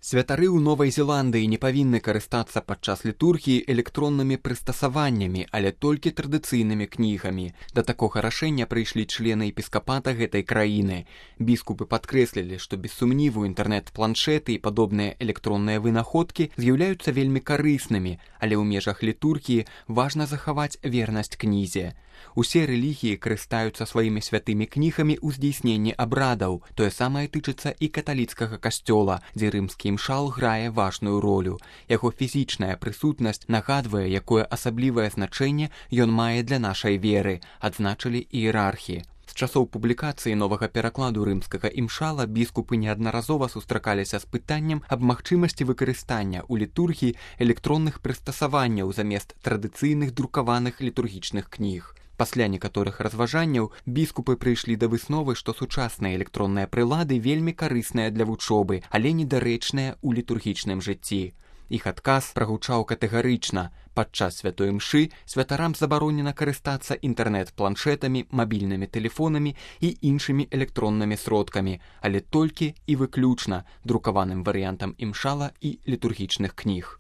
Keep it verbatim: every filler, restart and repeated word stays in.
Святары ў Новай Зеландыі не павінны карыстацца падчас літургіі электроннымі прыстасаваннямі, але толькі традыцыйнымі кнігамі. Да такога рашэння прыйшлі члены епіскапата гэтай краіны. Біскупы падкрэслілі, што без сумніву інтэрнэт-планшеты і падобныя электронныя вынаходкі з'яўляюцца вельмі карыснымі, але ў межах літургіі важна захаваць вернасць кнізе. Усе рэлігіі карыстаюцца сваімі святымі кнігамі ў здзейсненні абрадаў. Тое самае тычыцца і каталіцкага касцёла, дзе рымскі імшал грае важную ролю. Яго фізічная прысутнасць нагадвае, якое асаблівае значэнне ён мае для нашай веры, адзначылі іерархі. З часоў публікацыі новага перакладу рымскага імшала біскупы неаднаразова сустракаліся з пытаннем аб магчымасці выкарыстання ў літургіі электронных прыстасаванняў замест традыцыйных друкаваных літургічных кніг. Пасля некаторых разважанняў біскупы прыйшлі да высновы, што сучасныя электронныя прылады вельмі карысныя для вучобы, але недарэчныя ў літургічным жыцці. Іх адказ прагучаў катэгарычна. Падчас святой імшы святарам забаронена карыстацца інтэрнэт-планшетамі, мабільнымі тэлефонамі і іншымі электроннымі сродкамі, але толькі і выключна друкаваным варыянтам імшала і літургічных кніг.